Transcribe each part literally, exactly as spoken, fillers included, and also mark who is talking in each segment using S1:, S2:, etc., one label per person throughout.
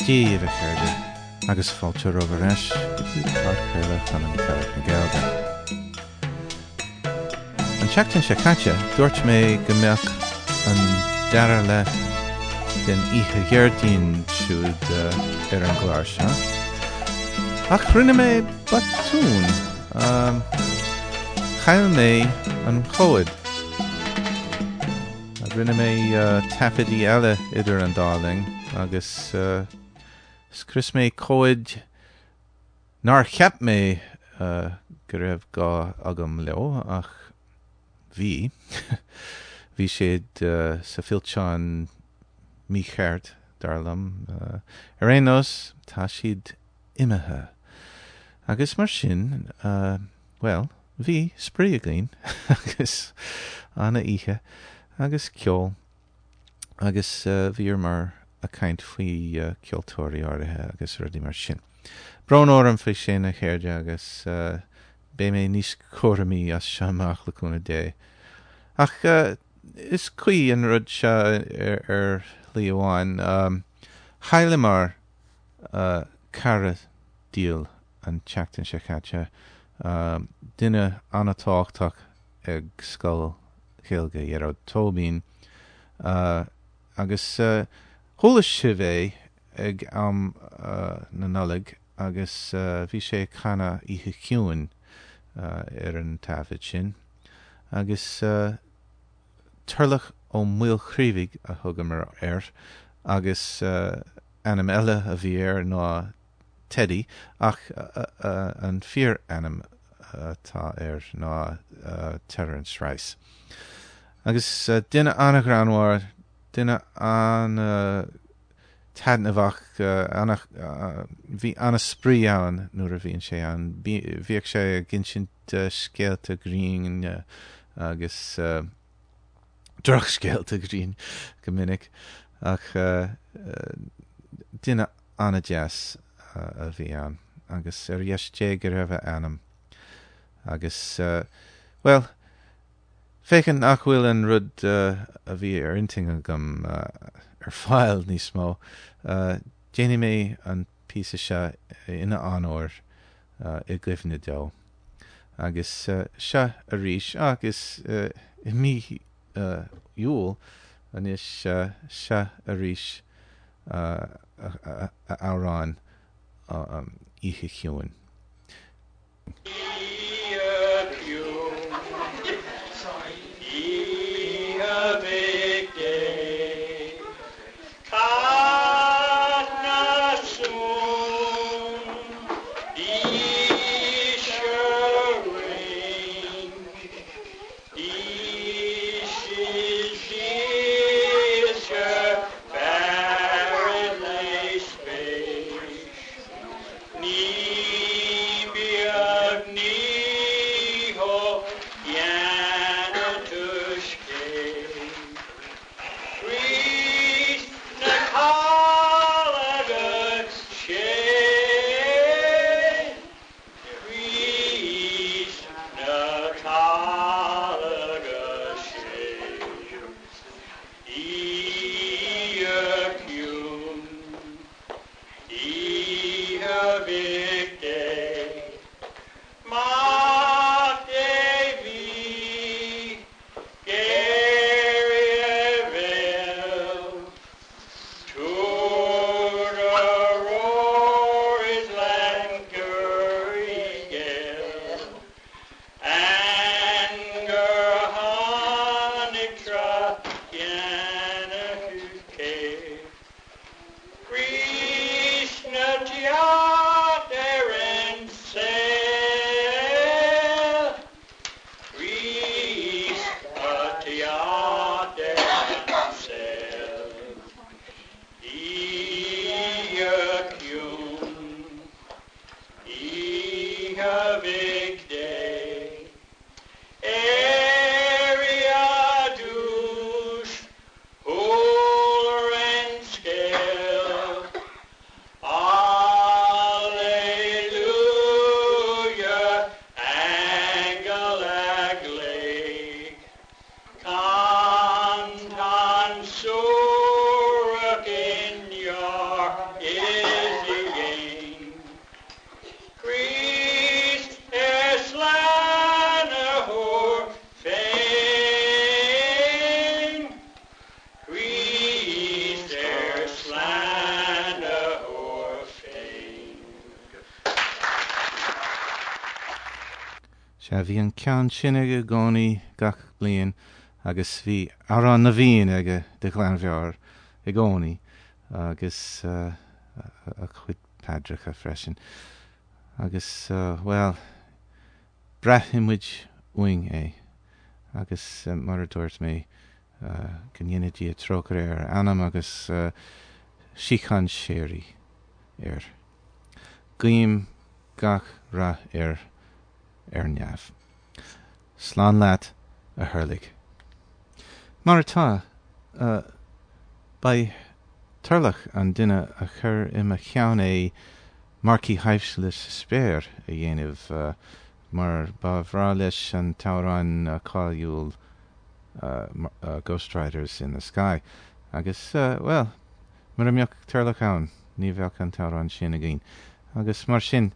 S1: Dia daoibh a chairde, agus fáilte romhaibh ar ais go dtí podchraoladh Chonradh na Gaeilge. An tseachtain seo caite, dúirt mé go mbeadh an dara leath den oíche Dhéardaoin siúd ar an gclár seo. Ach rinne mé botún. Chaill mé an comhad. Rinne mé taifeadtaí eile idir an dá linn agus scrios mé comhaid nár cheap mé go raibh gá agam leo ach bhí. Bhí siad sa fillteán mícheart, dar liom. Ar aon nós, tá siad imithe. Agus mar sin, bhuel, bhí spraoi againn agus ana-oíche agus ceol agus bhíomar ag caint faoi ceoltóirí áirithe agus rudaí mar sin. Brón orm faoi sin a chairde agus beidh mé níos cúramaí as seo amach le cúnamh Dé. Ach is cuí an rud seo ar shlí amháin. Chailleamar cara dhil an tseachtain seo caite, duine an-tábhachtach ag Scoil Ghaeilge Ghearóid Tóibín agus chuala sibh é ag am na Nollag agus bhí sé ag canadh Oíche Chiúin ar an taifead sin agus Turlough Ó Maolchraoibhigh a thugamar air agus ainm eile a bhí air ná Teddy ach an fíor-ainm atá air ná Terence Rice. Agus duine an-ghreannmhar, duine an-taitneamhach, bhí an-spraoi ann nuair a bhíonn sé ann. Bhíodh sé ag insint scéalta grinn agus drochscéalta grinn go minic ach duine an-deas a bhí ann agus ar dheis Dé go raibh a anam. Agus bhuel, féachaint nach bhfuil an rud a bhí ar intinn agam ar fáil níos mó, déanfaidh mé an píosa seo ina onóir i gcuimhne dó. Agus seo arís agus i mí Iúil anois seo arís a amhrán Oíche Chiúin.
S2: Oíche chiúin, oíche Mhic Dé, Cath na suan, aois a raon, aois is dílse fearadh le spéis. Ní beag ní
S1: Sea, bhí an ceann sin aige i gcónaí gach bliain agus bhí Amhrán na bhFiann aige de ghlanmheabhair i gcónaí agus uh, a chuid paidreacha freisin. Agus, uh, well, braithfidh muid uainn é. Agus uh, mar a dúirt mé uh, go ndéana Dia trócaire ar a anam agus uh, síocháin shíoraí air. Guím gach rath air ar neamh. Slán leat a Thurlaigh. Mar atá, uh, ba Turlach an duine a chuir i mo cheann é Marcaigh Thaibhsiúla sa Spéir a dhéanamh uh, mar ba bhreá leis an t-amhrán uh, cáiliúil uh, uh, Ghost Riders in the Sky. Agus, uh, well, mura mbeadh Turlach ann, ní bheadh an t-amhrán sin againn. Agus mar sin,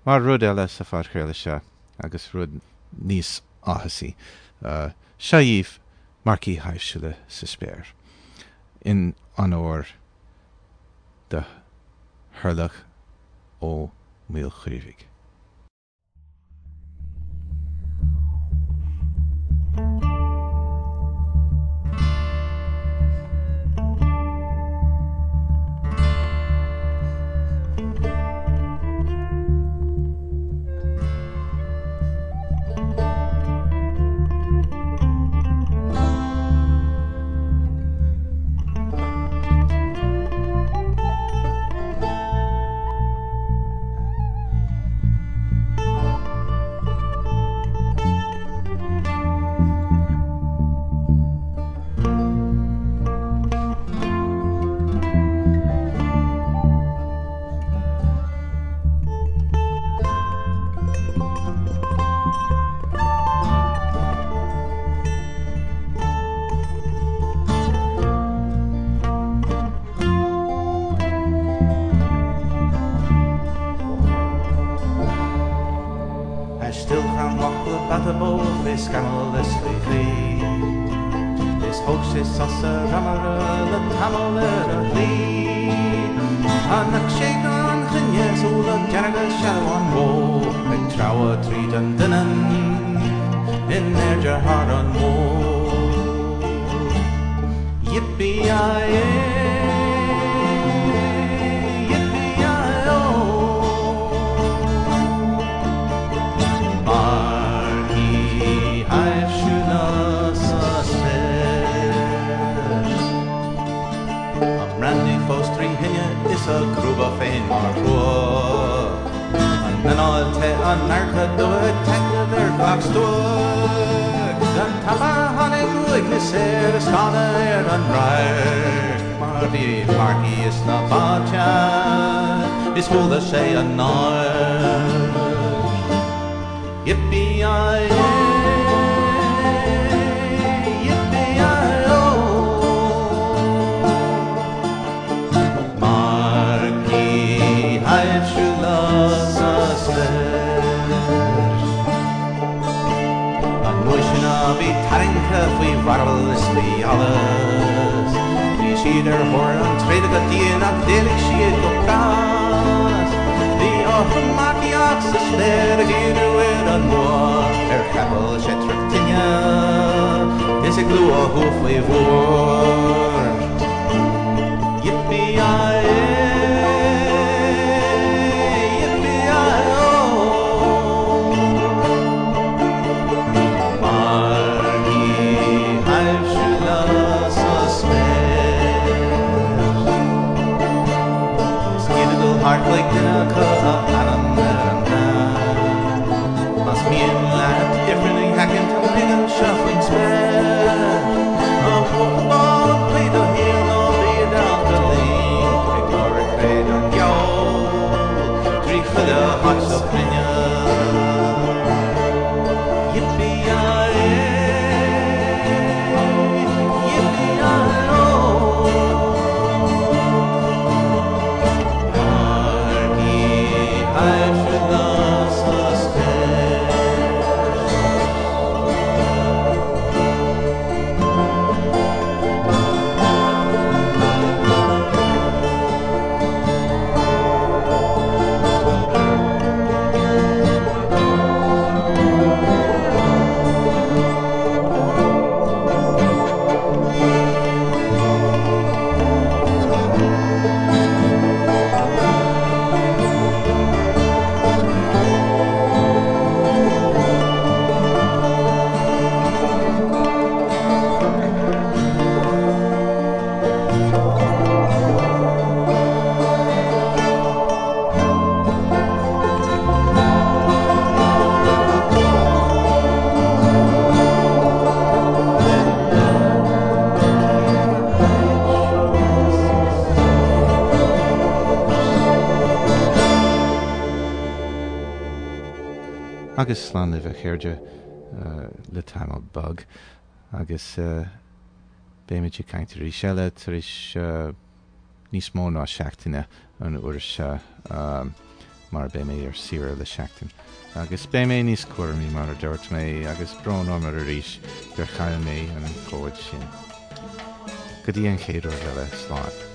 S1: mar rud eile sa phodchraoladh seo agus rud níos áthasaí. Uh, seo dhaoibh Marcaigh Thaibhsiúla sa Spéir. In onóir do Thurlach Ó Maolchaoimhigh.
S3: Scamall is faoi chlí. Is thóg sé sos a ramara le tamall ar a shlí. Chonaic sé gan choinne súile dearga sealbhán bó ag treabhadh tríd an doineann in airde thar an mhór. Yippee-yi-yay, yippee-yi-oh. Marcaigh thaibhsiúla sa spéir. An brandy fós trí thine is a crúba féin mar chrua. An anáil te an adharca dubh ag taitneamh ar gach stuac. An tapa tháinig uaigneas air is stánadh ar an radharc. Mar bhí marcaigh sna bailte is chuala sé an náir. Yippee-yi-yay, yippee-yi-oh. Marcaigh thaibhsiúla sa spéir. An uair sin a bhí tarraingthe faoi mharbhal is faoi allas. Bhí siad ar thóir an tréada go dian ach d'éalaigh siad go pras. Bhí orthu marcaíocht sa spéir ag díriú ar an mbua ar chapall seitreach tine is ag luathú faoi mhór. Yippee-yi-yay, yippee-yi-oh. Marcaigh thaibhsiúla sa spéir. Is iad ag dul thart chuig duine acu a ainm ar an gcrann. Más mian leat ifreann a sheachaint tá pingin seo faoin spéir. An ball
S1: Agus slán libh a chairde le tamall beag agus beimid ag caint arís eile tar éis níos mó ná seachtaine an uair seo mar beidh mé ar saoire le seachtain. Agus beidh mé níos cúramaí mar a dúirt mé agus brón orm arís gur chaill mé an comhad sin. Go dtí an chéad uair eile slán.